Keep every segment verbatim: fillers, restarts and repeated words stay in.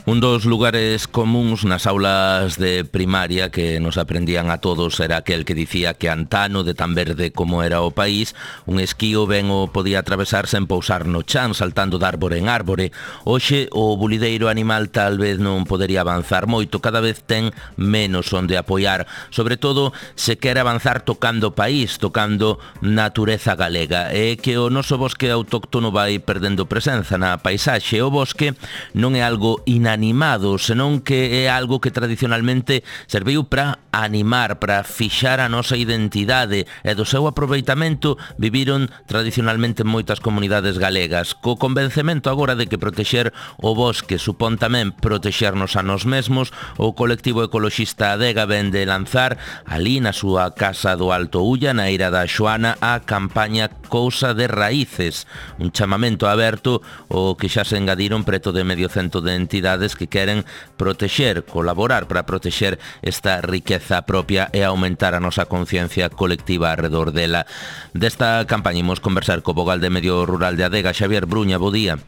Un dos lugares comuns nas aulas de primaria que nos aprendían a todos era aquel que dicía que antano, de tan verde como era o país, un esquío ben o podía atravesarse en pousar no chan, saltando de árbore en árbore. Hoxe o bulideiro animal tal vez non podería avanzar moito, cada vez ten menos onde apoiar, sobre todo se quere avanzar tocando país, tocando natureza galega, e que o noso bosque autóctono vai perdendo presenza na paisaxe. O bosque non é algo inanimado, animado, senón que é algo que tradicionalmente serviu para animar, para fixar a nosa identidade, e do seu aproveitamento viviron tradicionalmente moitas comunidades galegas, co convencemento agora de que protexer o bosque supón tamén protexernos a nós mesmos. O colectivo ecoloxista Adega ven de lanzar ali na súa casa do Alto Ulla, na Eira da Xoana, a campaña Cousa de Raíces, un chamamento aberto o que xa se engadiron preto de medio cento de entidades que queren protexer, colaborar para protexer esta riqueza propia e aumentar a nosa conciencia colectiva arredor dela. Desta campaña imos conversar co vogal de Medio Rural de Adega, Xavier Bruña. Bo día.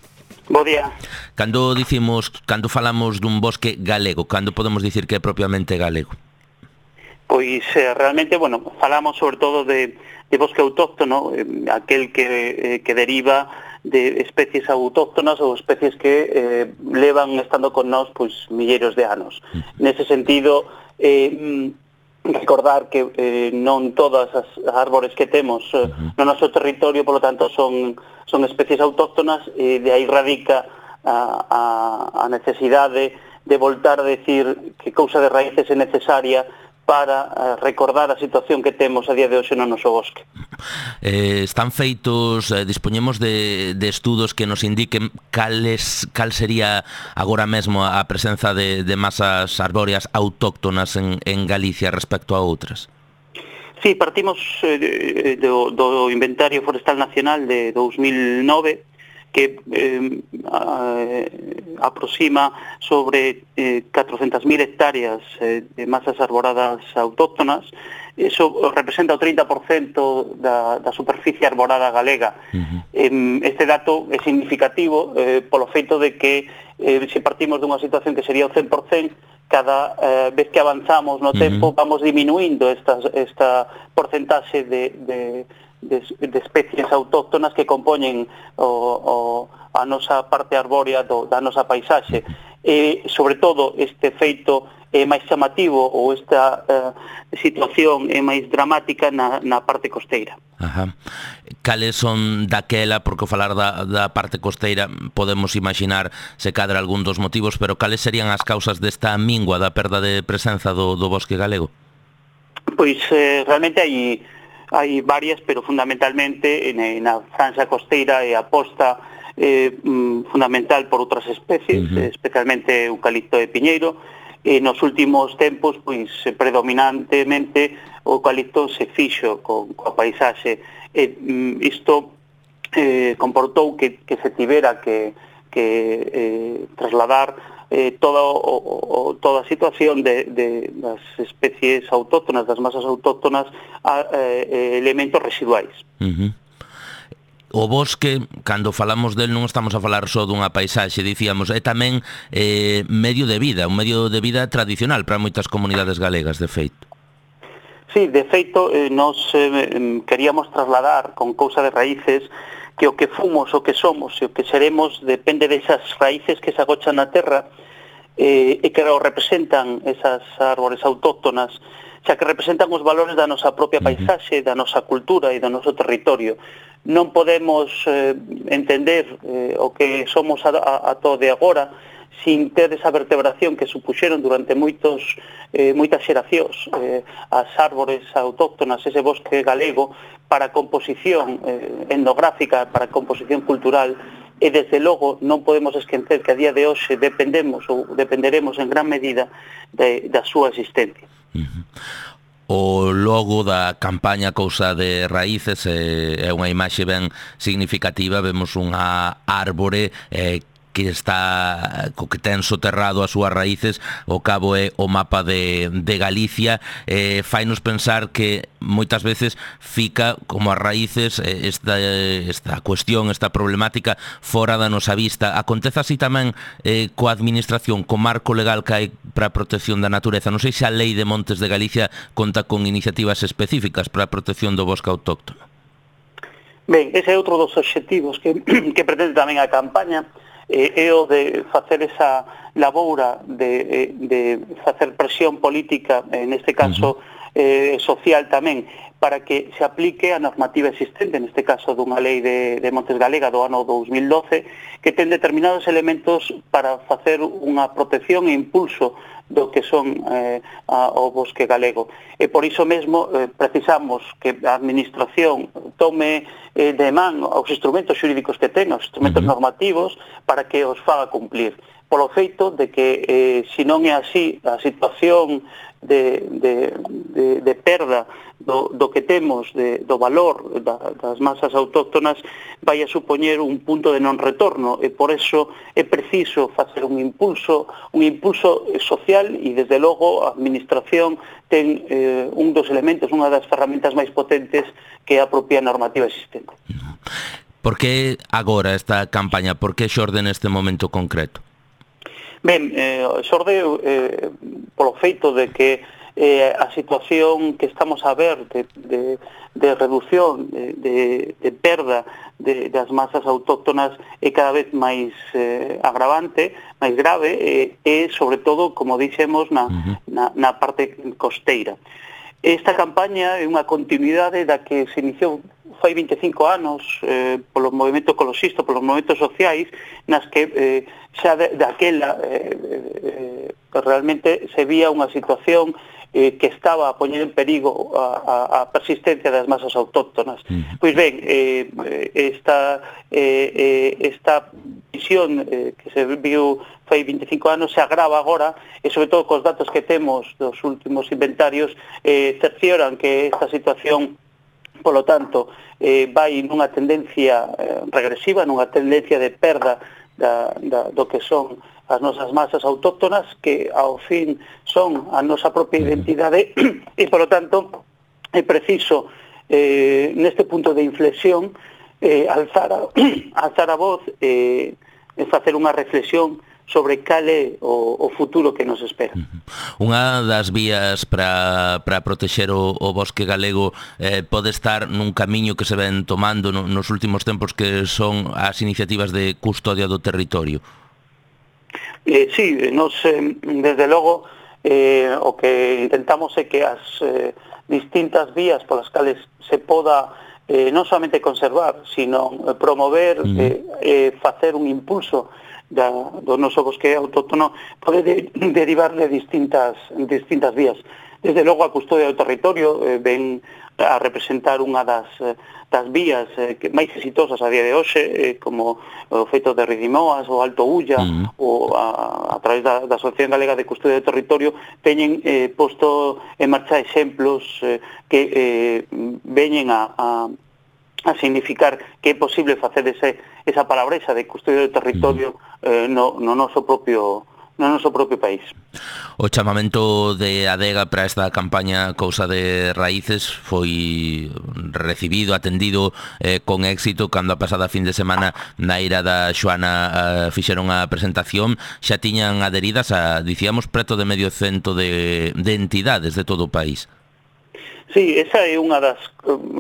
Bo día. Cando dicimos, cando falamos dun bosque galego, cando podemos dicir que é propiamente galego? Pois eh, realmente, bueno, falamos sobre todo de, de bosque autóctono, eh, aquel que, eh, que deriva de especies autóctonas ou especies que eh, levan estando con nós pois milleiros de anos. Nese sentido, eh, recordar que eh, non todas as árbores que temos eh, no noso territorio, polo tanto, son, son especies autóctonas, e de aí radica a, a, a necesidade de voltar a decir que Cousa de Raíces é necesaria para uh, recordar a situación que temos a día de hoxe no noso bosque. Eh, están feitos, eh, dispoñemos de, de estudos que nos indiquen cales, cal sería agora mesmo a presenza de, de masas arbóreas autóctonas en, en Galicia respecto a outras? Sí, partimos eh, do, do Inventario Forestal Nacional de dous mil nove, que eh, aproxima sobre eh, catrocentas mil hectáreas eh, de masas arboradas autóctonas. Eso representa o trinta por cento da, da superficie arborada galega. Uh-huh. eh, este dato é significativo eh, polo feito de que eh, se partimos dunha situación que sería o cen por cento, cada eh, vez que avanzamos no tempo, uh-huh, vamos diminuindo esta, esta porcentaxe de, de De, de especies autóctonas que compoñen o, o, a nosa parte arbórea do, da nosa paisaxe. E, sobre todo, este feito é máis chamativo, ou esta uh, situación é máis dramática na, na parte costeira. Ajá. Cales son daquela, porque falar da, da parte costeira podemos imaginar se cadra algún dos motivos, pero cales serían as causas desta mingua da perda de presenza do, do bosque galego? Pois eh, realmente hai hai varias, pero fundamentalmente na franxa costeira é a aposta eh, fundamental por outras especies, uh-huh, especialmente eucalipto e piñeiro. E nos últimos tempos, pois, predominantemente o eucalipto se fixo con, coa paisaxe. E isto eh, comportou que, que se tivera que, que eh, trasladar Eh, toda, o, o, toda a situación de, de das especies autóctonas, das masas autóctonas, a eh, elementos residuais. Uh-huh. O bosque, cando falamos del, non estamos a falar só dunha paisaxe, dicíamos, é tamén eh, medio de vida, un medio de vida tradicional para moitas comunidades galegas, de feito. Sí, de feito, eh, nos eh, queríamos trasladar con Cousa de Raíces que o que fomos, o que somos e o que seremos depende desas raíces que se agochan na terra eh, e que representan esas árbores autóctonas, xa que representan os valores da nosa propia paisaxe, da nosa cultura e do noso territorio. Non podemos eh, entender eh, o que somos a, a, a todo de agora sin ter esa vertebración que supuxeron durante moitos, eh, moitas xeracións eh, as árbores autóctonas, ese bosque galego, para a composición eh, etnográfica, para a composición cultural, e desde logo non podemos esquecer que a día de hoxe dependemos ou dependeremos en gran medida de, da súa existencia. Uh-huh. O logo da campaña Cousa de Raíces é unha imaxe ben significativa. Vemos unha árbore eh, que está co que ten soterrado as súas raíces, o cabo é o mapa de, de Galicia, eh, fainos pensar que moitas veces fica como as raíces esta, esta cuestión, esta problemática fora da nosa vista. Acontece así tamén eh, coa administración, co marco legal que hai para a protección da natureza. Non sei se a Lei de Montes de Galicia conta con iniciativas específicas para a protección do bosque autóctono. Ben, ese é outro dos obxectivos que, que pretende tamén a campaña, eh, é o de facer esa laboura de, de facer presión política, en este caso eh, social tamén, para que se aplique a normativa existente, neste caso dunha lei de, de Montes Galega do ano dos mil doce, que ten determinados elementos para facer unha protección e impulso do que son eh, a, o bosque galego. E por iso mesmo eh, precisamos que a administración tome eh, de man os instrumentos xurídicos que ten, os instrumentos uh-huh. normativos, para que os faga cumplir. Polo feito de que, eh, se non é así, a situación de, de, de, de perda do, do que temos, de, do valor da, das masas autóctonas, vai a supoñer un punto de non retorno, e por eso é preciso facer un impulso, un impulso social, e desde logo a administración ten eh, un dos elementos, unha das ferramentas máis potentes que é a propia normativa existente. Por que agora esta campaña? Por que xorde neste momento concreto? Ben, eh, xorde eh, polo feito de que eh, a situación que estamos a ver de, de, de reducción, de, de, de perda de, das masas autóctonas é cada vez máis eh, agravante, máis grave, e eh, sobre todo, como dixemos, na, uh-huh. na, na parte costeira. Esta campaña é unha continuidade da que se iniciou fai vinte e cinco anos eh, polo movimento ecoloxista, polos movimentos sociais, nas que eh, xa de, daquela eh, eh, realmente se vía unha situación eh, que estaba a poñer en perigo a, a, a persistencia das masas autóctonas. Uh-huh. Pois ben, eh, esta, eh, esta visión eh, que se viu fai vinte e cinco anos se agrava agora, e sobre todo cos datos que temos dos últimos inventarios eh, cercioran que esta situación, polo tanto, eh, vai nunha tendencia eh, regresiva, nunha tendencia de perda da, da, do que son as nosas masas autóctonas, que ao fin son a nosa propia identidade, e polo tanto é preciso eh, neste punto de inflexión eh, alzar, a, alzar a voz e eh, facer unha reflexión sobre cal é o, o futuro que nos espera. Unha das vías para, para protexer o, o bosque galego eh, pode estar nun camiño que se ven tomando no, nos últimos tempos, que son as iniciativas de custodia do territorio. Eh, sí, nos, eh, desde logo, eh, o que intentamos é que as eh, distintas vías polas cales se poda eh, non solamente conservar, sino promover, uh-huh. eh, eh, facer un impulso da, do noso bosque autóctono, pode de, derivar de distintas, distintas vías. Desde logo a custodia do territorio eh, ven a representar unha das, das vías eh, que máis exitosas a día de hoxe, eh, como o feito de Ridimoas, o Alto Ulla, uh-huh. ou a, a través da, da Asociación Galega de Custodia do Territorio, teñen eh, posto en marcha exemplos eh, que eh, veñen a, a a significar que é posible facer ese, esa palabresa de custodia do territorio eh, no, no noso propio no noso propio país. O chamamento de Adega para esta campaña Cousa de Raíces foi recibido, atendido eh, con éxito cando a pasada fin de semana na ira da Xoana eh, fixeron a presentación. Xa tiñan adheridas a, dicíamos, preto de medio cento de, de entidades de todo o país. Sí, esa é unha das,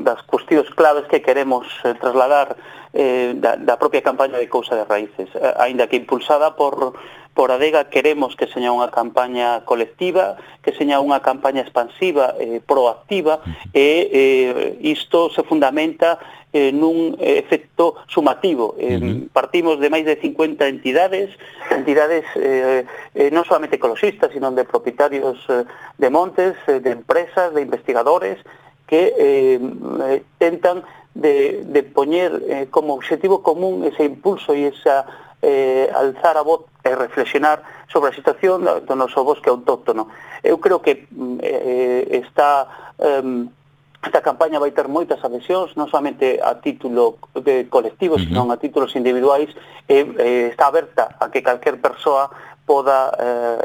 das cuestións claves que queremos eh, trasladar eh, da, da propia campaña de Cousa de Raíces. Eh, aínda que impulsada por, por Adega, queremos que seña unha campaña colectiva, que seña unha campaña expansiva, eh, proactiva, e eh, isto se fundamenta eh, nun efecto sumativo. Eh, uh-huh. Partimos de máis de cincuenta entidades, entidades eh, eh, non solamente ecologistas, sino de propietarios eh, de montes, eh, de empresas, de investigadores, que eh, eh, tentan de, de poñer eh, como objetivo común ese impulso e esa eh, alzar a voz e reflexionar sobre a situación do noso bosque autóctono. Eu creo que eh, está... Eh, esta campaña vai ter moitas adhesións, non somente a título de colectivo, uh-huh. sino a títulos individuais, e eh, está aberta a que calquer persoa poda eh,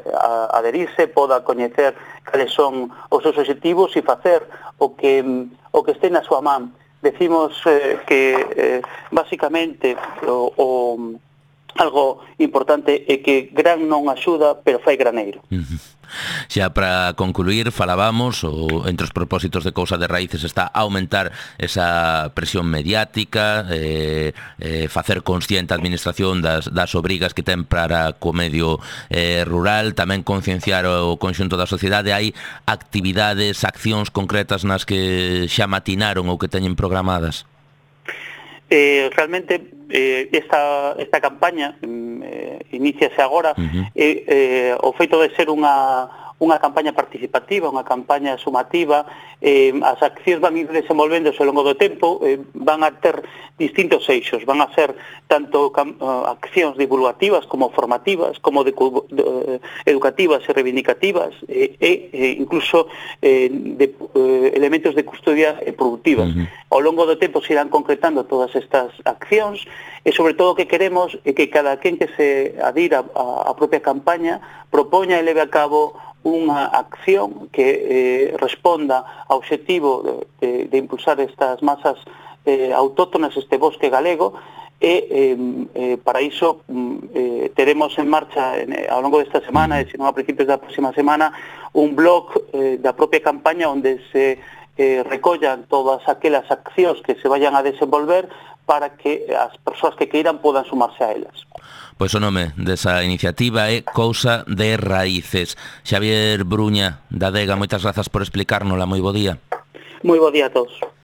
adherirse, poda coñecer cales son os seus objetivos e facer o que, o que este na súa man. Decimos eh, que eh, basicamente o, o, algo importante é que gran non axuda, pero fai graneiro. Uh-huh. Xa para concluir, falábamos, o, entre os propósitos de Cousa de Raíces está aumentar esa presión mediática, eh, eh, facer consciente a administración das, das obrigas que ten para co medio eh, rural, tamén concienciar o conxunto da sociedade. Hai actividades, accións concretas nas que xa matinaron ou que teñen programadas? Eh, realmente eh, esta, esta campaña eh, iníciase agora uh-huh. eh, eh, o feito de ser unha, unha campaña participativa, unha campaña sumativa, eh, as accións van ir desenvolvéndose ao longo do tempo, eh, van a ter distintos eixos, van a ser tanto uh, accións divulgativas como formativas, como de, de, educativas e reivindicativas, e eh, eh, incluso eh, de, eh, elementos de custodia eh, productivas. Uh-huh. Ao longo do tempo se irán concretando todas estas accións, e sobre todo o que queremos é que cada quen que se adira a, a propia campaña propoña e leve a cabo unha acción que eh, responda ao obxectivo de, de, de impulsar estas masas eh, autóctonas, este bosque galego, e eh, eh, para iso eh, teremos en marcha en, ao longo desta semana, e senón a principios da próxima semana, un blog eh, da propia campaña onde se eh, recollan todas aquelas accións que se vayan a desenvolver para que as persoas que queiran podan sumarse a elas. Pois o nome desa iniciativa é Cousa de Raíces. Xavier Bruña, da Adega, moitas grazas por explicárnosla. Moi bo día. Moi bo día a todos.